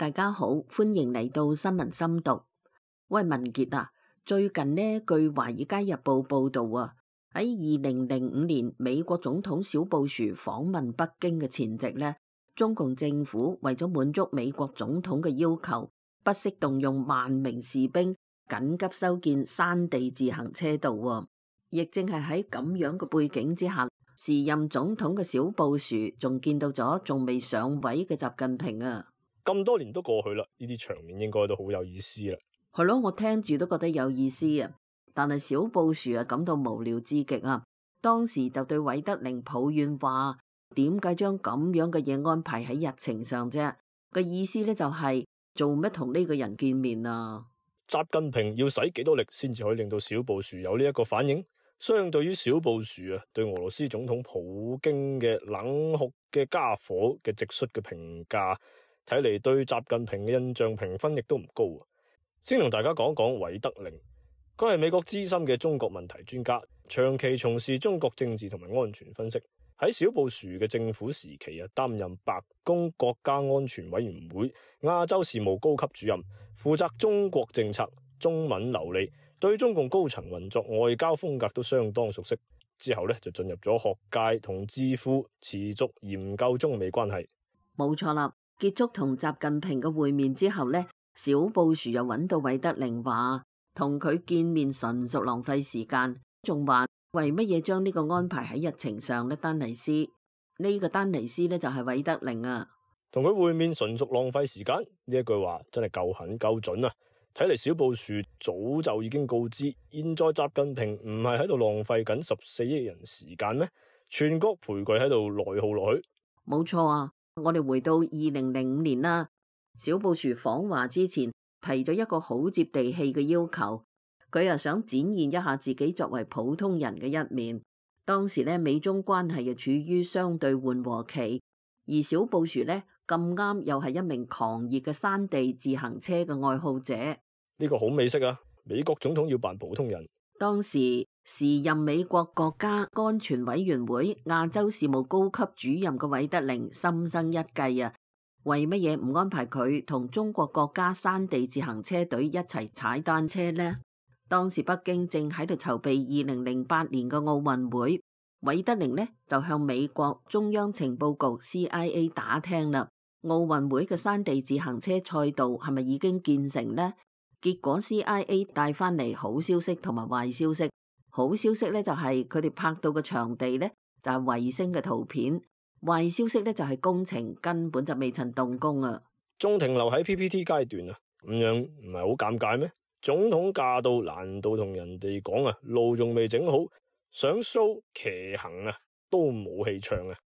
大家好，歡迎嚟到新聞深讀。喂，文傑啊，最近呢，據《華爾街日報》報道啊，喺2005年美國總統小布殊訪問北京嘅前夕呢，中共政府為咗滿足美國總統嘅要求，不惜動用萬名士兵緊急修建山地自行車道啊。亦正係喺咁樣嘅背景之下，時任總統嘅小布殊仲見到咗仲未上位嘅習近平啊。咁多年都過去啦，呢啲場面應該都好有意思啦。係咯，我聽住都覺得有意思啊。但係小布殊啊感到無聊至極啊。當時就對韋德寧抱怨話：點解將咁樣嘅嘢安排喺日程上啫？個意思咧就係做乜同呢個人見面啊？習近平要使幾多力先至可以令到小布殊有呢一個反應？相對於小布殊啊，對俄羅斯總統普京嘅冷酷嘅家伙嘅直率嘅評價，睇嚟對習近平嘅印象評分亦都唔高。先同大家講講韋德寧，佢係美國資深嘅中國問題專家，長期從事中國政治同埋安全分析。喺小布殊嘅政府時期啊，擔任白宮國家安全委員會亞洲事務高級主任，負責中國政策，中文流利，對中共高層運作、外交風格都相當熟悉。之後呢，就進入咗學界同智庫，持續研究中美關係。冇錯啦，結束同習近平嘅會面之後呢，小布殊又揾到韋德寧話，同佢見面純屬浪費時間，仲話為乜嘢將呢個安排喺日程上呢？丹尼斯呢個丹尼斯呢，就係韋德寧啊，同佢會面純屬浪費時間，呢一句話真係夠狠夠準啊！睇嚟小布殊早就已經告知，現在習近平唔係喺度浪費緊14億人時間咩？全國陪佢喺度內耗落去。冇錯啊！我哋回到2005年啦，小布殊訪華之前提咗一個好接地氣嘅要求，佢又想展現一下自己作為普通人嘅一面。當時呢，美中關係又處於相對緩和期，而小布殊呢，咁啱又係一名狂熱嘅山地自行車嘅愛好者。呢個好美式啊！美國總統要扮普通人。當時時任美國國家安全委員會亞洲事務高級主任嘅韋德寧心生一計啊，為乜嘢唔安排佢同中國國家山地自行車隊一齊踩單車呢？當時北京正喺度籌備2008年嘅奧運會，韋德寧呢就向美國中央情報局 CIA 打聽啦，奧運會嘅山地自行車賽道係咪已經建成呢？結果 CIA 帶翻嚟好消息同埋壞消息。好消息咧就係佢哋拍到嘅場地咧就係衛星嘅圖片，壞消息咧就係工程根本就未曾動工啊，仲停留喺 PPT 階段啊，咁樣唔係好尷尬咩？總統駕到難道同人哋講啊，路仲未整好，想 show 騎行啊都冇氣唱啊，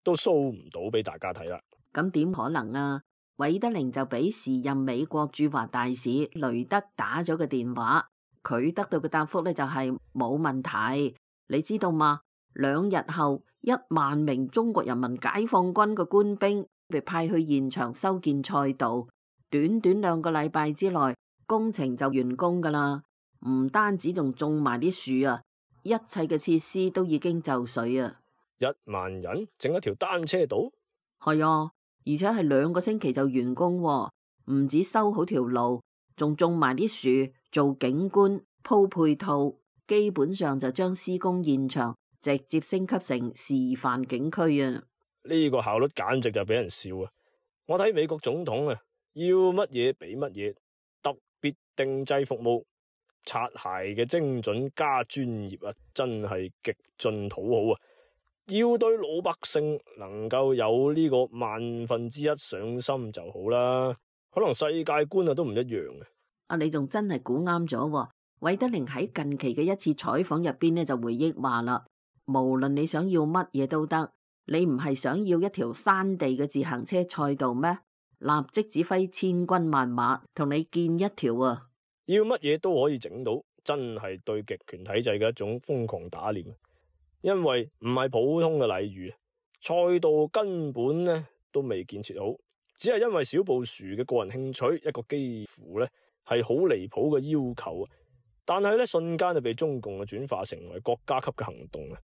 都 show 唔到俾大家睇啦。咁點可能啊？韋德寧就俾時任美國駐華大使雷德打咗個電話，佢得到嘅答覆咧就係冇問題。你知道嗎？2日後1萬名中國人民解放軍嘅官兵被派去現場修建賽道，短短2個禮拜之內工程就完工噶啦。唔單止仲種埋啲樹啊，一切嘅設施都已經就緒啊。1萬人整一條單車道？係啊。而且係2個星期就完工喎，唔止修好條路，仲種埋啲樹做景觀鋪配套，基本上就將施工現場直接升級成示範景區啊！呢個效率簡直就俾人笑啊！我睇美國總統啊，要乜嘢俾乜嘢，特別定製服務，擦鞋嘅精準加專業啊，真係極盡討好啊！要對老百姓能夠有呢個1/1000上心就好啦，可能世界觀啊都唔一樣嘅。你仲真係估啱咗喎。韋德寧喺近期嘅一次採訪入邊呢就回憶話啦，無論你想要乜嘢都得，你唔係想要一條山地嘅自行車賽道咩？立即指揮千軍萬馬同你建一條啊！要乜嘢都可以整到，真係對極權體制嘅一種瘋狂打臉。因為唔係普通嘅禮遇，賽道根本呢都未建設好，只係因為小布殊嘅個人興趣，一個幾乎呢係好離譜嘅要求，但係呢瞬間就被中共轉化成為國家級嘅行動啊！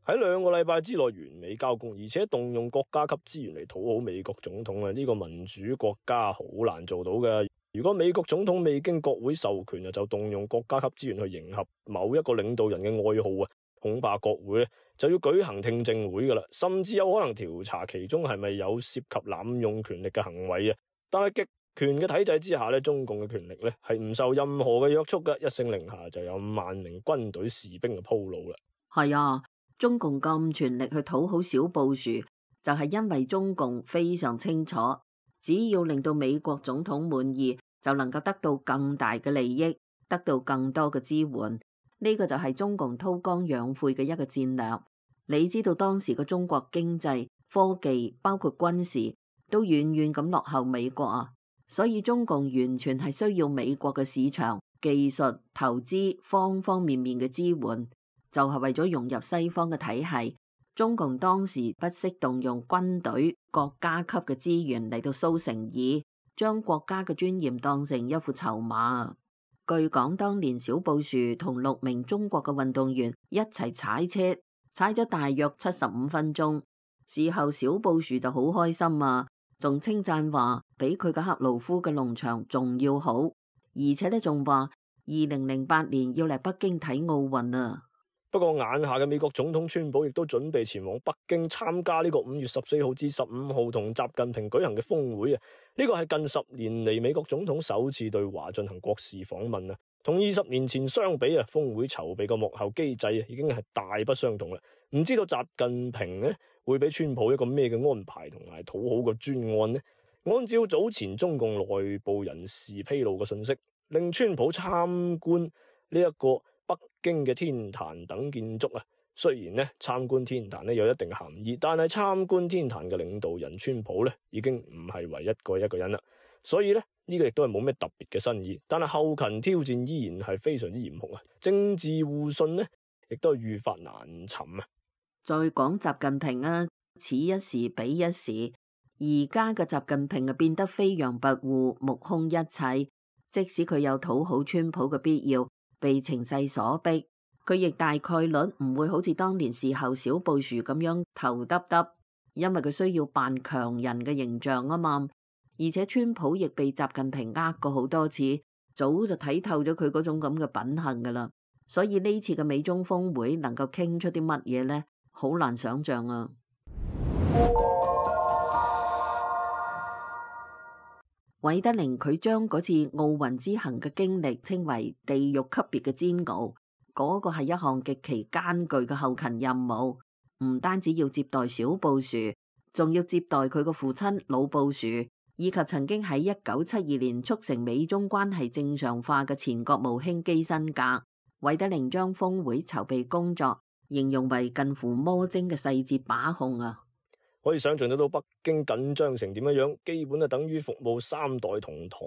喺2個禮拜之內完美交工，而且動用國家級資源嚟討好美國總統啊！呢個民主國家好難做到嘅。如果美國總統未經國會授權就動用國家級資源去迎合某一個領導人嘅愛好啊，恐怕國會咧就要舉行聽證會噶啦，甚至有可能調查其中係咪有涉及濫用權力嘅行為啊！但係極權嘅體制之下咧，中共嘅權力咧係唔受任何嘅約束嘅，一聲令下就有萬名軍隊士兵嘅鋪路啦。係啊，中共咁全力去討好小布殊，就係因為中共非常清楚，只要令到美國總統滿意，就能夠得到更大嘅利益，得到更多嘅支援。呢個就係中共韜光養晦嘅一個戰略。你知道當時嘅中國經濟、科技，包括軍事，都遠遠咁落後美國啊，所以中共完全係需要美國嘅市場、技術、投資方方面面嘅支援，就係為咗融入西方嘅體系。中共當時不惜動用軍隊、國家級嘅資源嚟到蘇誠意，將國家嘅尊嚴當成一副籌碼。據講，當年小布殊同6名中國嘅運動員一齊踩車，踩咗大約75分鐘。事後小布殊就好開心啊，仲稱讚話比佢嘅克魯夫嘅農場仲要好，而且呢仲話2008年要嚟北京睇奧運啊。不過眼下嘅美國總統川普亦都準備前往北京參加呢個5月14號至15號同習近平舉行嘅峰會啊！呢個係近10年嚟美國總統首次對華進行國事訪問啊！同20年前相比啊，峰會籌備嘅幕後機制已經係大不相同啦。唔知道習近平呢會俾川普一個咩嘅安排同埋討好嘅專案呢？按照早前中共內部人士披露嘅信息，令川普參觀呢一個北京嘅天壇等建築啊，雖然呢參觀天壇有一定嘅含義，但係參觀天壇嘅領導人川普已經唔係唯一一個人啦，所以呢個亦都係冇咩特別嘅新意，但係後勤挑戰依然係非常之嚴酷啊，政治互信亦都係愈發難尋啊。再講習近平啊，此一時彼一時，而家嘅習近平變得飛揚跋扈，目空一切，即使佢有討好川普嘅必要，被情勢所逼，佢亦大概率唔會好似當年事後小布殊咁樣頭耷耷，因為佢需要扮強人嘅形象啊嘛。而且川普亦被習近平呃過好多次，早就睇透咗佢嗰種咁嘅品行噶啦。所以呢次嘅美中峰會能夠傾出啲乜嘢呢？好難想象啊！韋德靈佢將嗰次奧運之行嘅經歷稱為地獄級別嘅煎熬，嗰個係一項極其艱巨嘅後勤任務，唔單止要接待小布殊，仲要接待佢個父親老布殊，以及曾經喺1972年促成美中關係正常化嘅前國務卿基辛格。韋德靈將峰會籌備工作形容為近乎魔精嘅細節把控啊！可以想象得到北京緊張成點樣，基本等於服務3代同堂，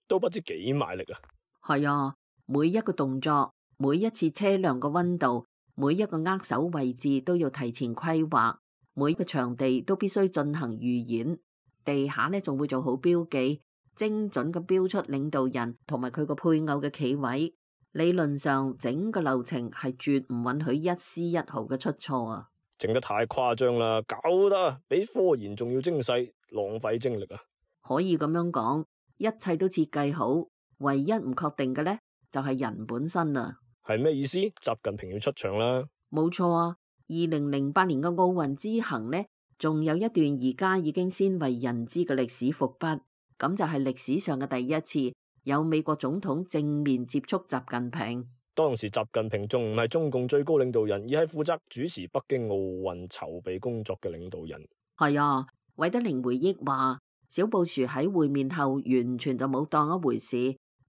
都不知幾賣力啊！係啊，每一個動作，每一次車輛嘅溫度，每一個握手位置都要提前規劃，每個場地都必須進行預演，地下仲會做好標記，精準咁標出領導人同埋佢個配偶嘅企位。理論上，整個流程係絕唔允許一絲一毫嘅出錯啊！整得太誇張啦，搞得比科研仲要精細，浪費精力啊！可以咁樣講，一切都設計好，唯一唔確定嘅呢，就係人本身啊！係咩意思？習近平要出場啦？冇錯啊！2008年嘅奧運之行呢，仲有一段而家已經鮮為人知嘅歷史伏筆，咁就係歷史上嘅第一次有美國總統正面接觸習近平。當時習近平仲唔係中共最高領導人，而係負責主持北京奧運籌備工作嘅領導人。係啊，韋德靈回憶話，小布殊喺會面後完全就冇當一回事，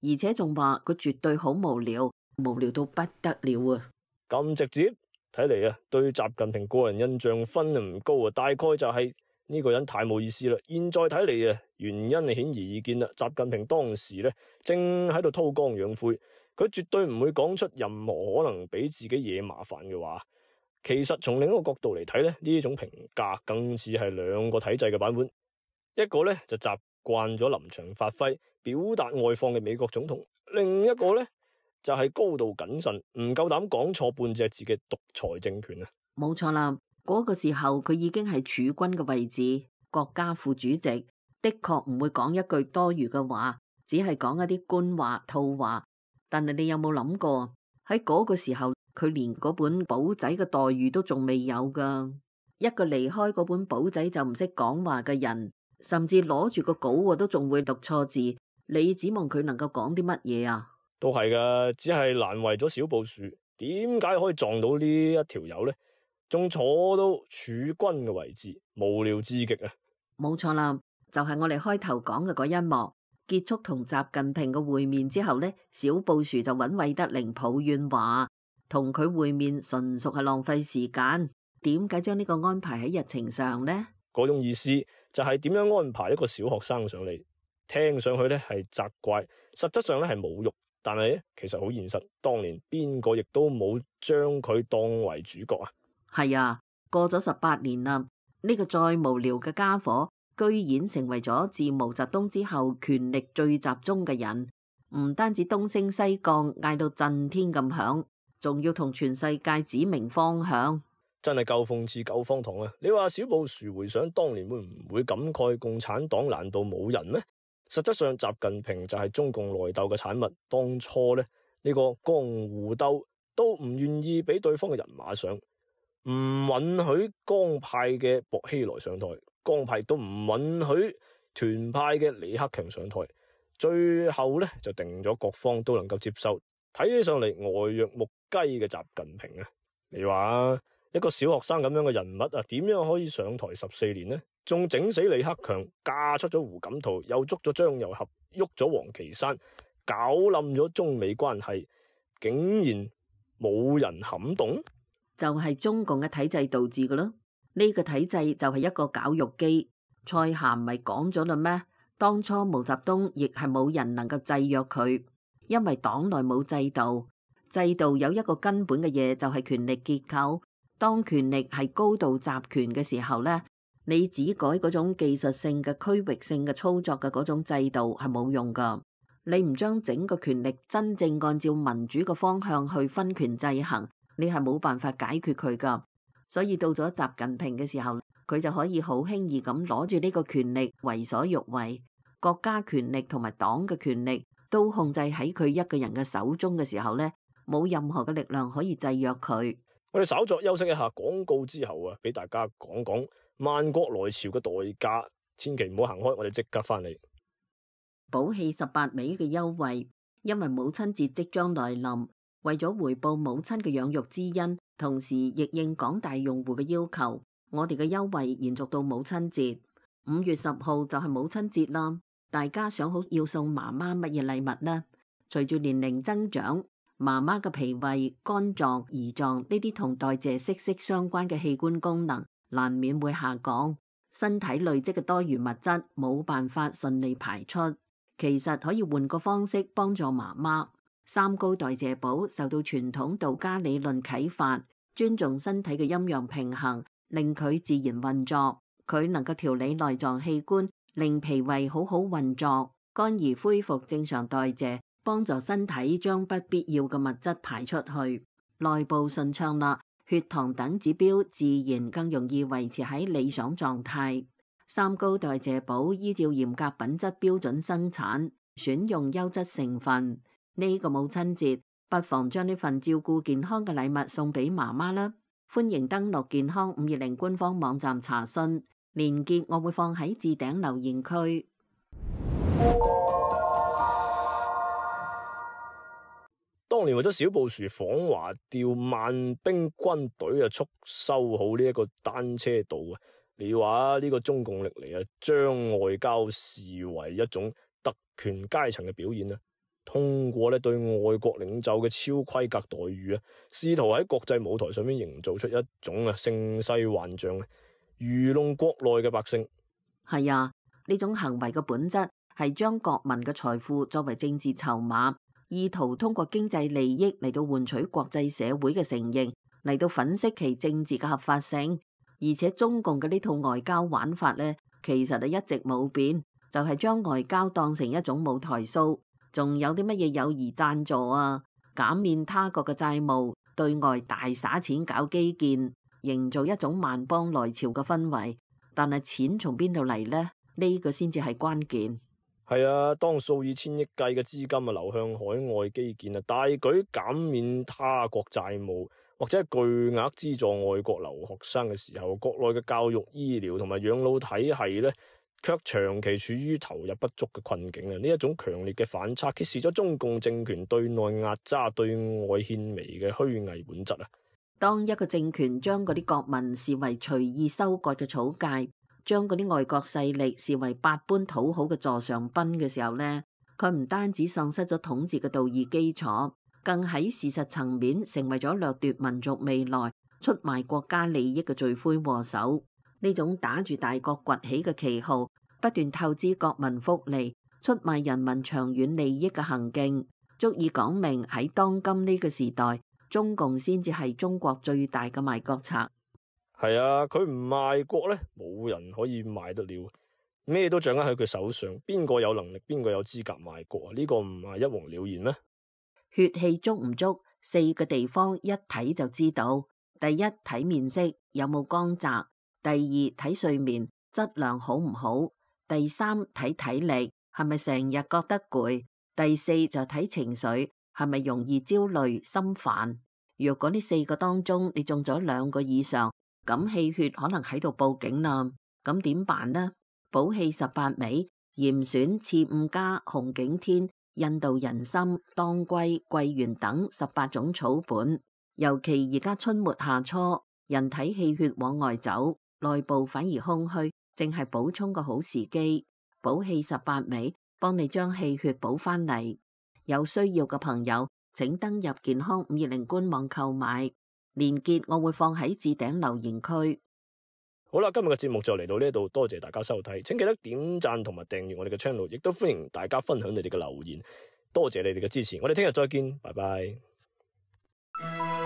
而且仲話佢絕對好無聊，無聊到不得了啊！咁直接，睇嚟對習近平個人印象分唔高啊，大概就係呢個人太冇意思啦。現在睇嚟原因係顯而易見啦。習近平當時正喺度韜光養晦，佢絕對唔會講出任何可能俾自己惹麻煩嘅話。其實從另一個角度嚟睇呢種評價更似係2個體制嘅版本。一個就習慣咗臨場發揮、表達外放嘅美國總統，另一個就係高度謹慎、唔夠膽講錯半隻字嘅獨裁政權啊！冇錯啦，嗰個時候佢已經係儲君嘅位置，國家副主席，的確唔會講一句多餘嘅話，只係講一啲官話套話。但係你有冇諗過喺嗰個時候，佢連嗰本簿仔嘅待遇都仲未有噶。一個離開嗰本簿仔就唔識講話嘅人，甚至攞住個稿都仲會讀錯字，你指望佢能夠講啲乜嘢啊？都係噶，只係難為咗小布殊，點解可以撞到呢一條友呢？仲坐到儲君嘅位置，無聊至極啊！冇錯啦，就係我哋開頭講嘅嗰一幕。結束同習近平嘅會面之後呢，小布殊就揾韋德寧抱怨話，同佢會面純屬係浪費時間。點解將呢個安排喺日程上呢？嗰種意思就係點樣安排一個小學生上嚟，聽上去呢係責怪，實質上呢係侮辱。但係呢，其實好現實，當年邊個亦都冇將佢當為主角啊！係啊，過咗18年啦，呢個再無聊嘅家伙，居然成為咗自毛澤東之後權力最集中嘅人，唔單止東升西降，嗌到震天咁響，仲要同全世界指明方向，真係夠諷刺夠荒唐啊！你話小布殊回想當年會唔會感慨共產黨難道冇人咩？實質上習近平就係中共內鬥嘅產物，當初呢個江湖鬥都唔願意俾對方嘅人馬上，唔允許江派嘅薄熙來上台，江派都唔允許團派嘅李克強上台，最後就定咗各方都能夠接受，睇起上嚟呆若木雞嘅習近平啊！你話一個小學生咁樣嘅人物啊，點樣可以上台14年呢？仲整死李克強，嫁出咗胡錦濤，又捉咗張又俠，喐咗王岐山，搞冧咗中美關係，竟然冇人撼動？就係中共嘅體制導致嘅咯。呢個體制就係一個絞肉機。蔡涵咪講咗啦咩？當初毛澤東亦係冇人能夠制約佢，因為黨內冇制度。制度有一個根本嘅嘢，就係權力結構。當權力係高度集權嘅時候呢，你只改嗰種技術性嘅區域性嘅操作嘅嗰種制度係冇用噶。你唔將整個權力真正按照民主嘅方向去分權制衡，你係冇辦法解決佢噶。所以到咗習近平嘅時候，佢就可以好輕易咁攞住呢個權力為所欲為，國家權力同埋黨嘅權力都控制喺佢一個人嘅手中嘅時候呢，冇任何嘅力量可以制約佢。我哋稍作休息一下廣告之後啊，俾大家講講萬國來朝嘅代價，千祈唔好行開，我哋即刻翻嚟。寶氣18味嘅優惠，因為母親節即將來臨，為咗回報母親嘅養育之恩，同時亦應廣大用戶嘅要求，我哋嘅優惠延續到母親節。5月10號就係母親節啦，大家想好要送媽媽乜嘢禮物呢？隨住年齡增長，媽媽嘅脾胃、肝臟、胰臟呢啲同代謝息息相關嘅器官功能難免會下降，身體累積嘅多餘物質冇辦法順利排出。其實可以換個方式幫助媽媽。三高代謝寶受到傳統道家理論啟發，尊重身體嘅陰陽平衡，令佢自然運作。佢能夠調理內臟器官，令脾胃好好運作，肝兒恢復正常代謝，幫助身體將不必要嘅物質排出去，內部順暢啦，血糖等指標自然更容易維持喺理想狀態。三高代謝寶依照嚴格品質標準生產，選用優質成分。呢個母親節，不妨將呢份照顧健康嘅禮物送俾媽媽啦。歡迎登錄健康520官方網站查詢，連結我會放喺置頂留言區。當年為咗小布殊訪華調萬兵軍隊促修好呢一個單車道啊！你話呢個中共歷嚟將外交視為一種特權階層嘅表現啊！通過對外國領袖嘅超規格待遇啊，試圖喺國際舞台上面營造出一種盛世幻象，愚弄國內嘅百姓。係啊，呢種行為嘅本質係將國民嘅財富作為政治籌碼，意圖通過經濟利益嚟到換取國際社會嘅承認，嚟到粉飾其政治嘅合法性。而且中共嘅呢套外交玩法呢，其實一直冇變，就係將外交當成一種舞台 show。仲有啲乜嘢友誼贊助啊，減免他國嘅債務，對外大灑錢搞基建，營造一種萬邦來朝嘅氛圍。但係錢從邊度嚟呢？呢個先至係關鍵。係啊，當數以千億計嘅資金啊流向海外基建啊，大舉減免他國債務，或者係巨額資助外國留學生嘅時候，國內嘅教育、醫療同埋養老體系呢，卻長期處於投入不足嘅困境啊！呢一種強烈嘅反差，揭示咗中共政權對內壓榨、對外獻媚嘅虛偽本質啊！當一個政權將嗰啲國民視為隨意收割嘅草芥，將嗰啲外國勢力視為百般討好嘅座上賓嘅時候呢，佢唔單止喪失咗統治嘅道義基礎，更喺事實層面成為咗掠奪民族未來、出賣國家利益嘅罪魁禍首。呢種打住大國崛起嘅旗號，不斷透支國民福利、出賣人民長遠利益嘅行徑，足以講明喺當今呢個時代，中共先至係中國最大嘅賣國賊。係啊，佢唔賣國呢，冇人可以賣得了，咩都掌握喺佢手上。邊個有能力，邊個有資格賣國啊？呢個唔係一目了然咩？血氣足唔足，4個地方一睇就知道。第一，睇面色有冇光澤；第二，睇睡眠質量好唔好；第三，睇體力係咪成日覺得攰；第四就睇情緒係咪容易焦慮心煩。若果呢4個當中你中咗2個以上，咁氣血可能喺度報警啦。咁點辦呢？補氣18味、嚴選、刺五加、紅景天、印度人參、當歸、桂圓等18種草本。尤其而家春末夏初，人體氣血往外走，內部反而空虛，正係補充個好時機。補氣18味，幫你將氣血補翻嚟。有需要嘅朋友，請登入健康520官網購買，連結我會放喺置頂留言區。好啦，今日嘅節目就嚟到呢度，多謝大家收睇，請記得點讚同埋訂閱我哋嘅 channel，亦都歡迎大家分享你哋嘅留言，多謝你哋嘅支持，我哋聽日再見，拜拜。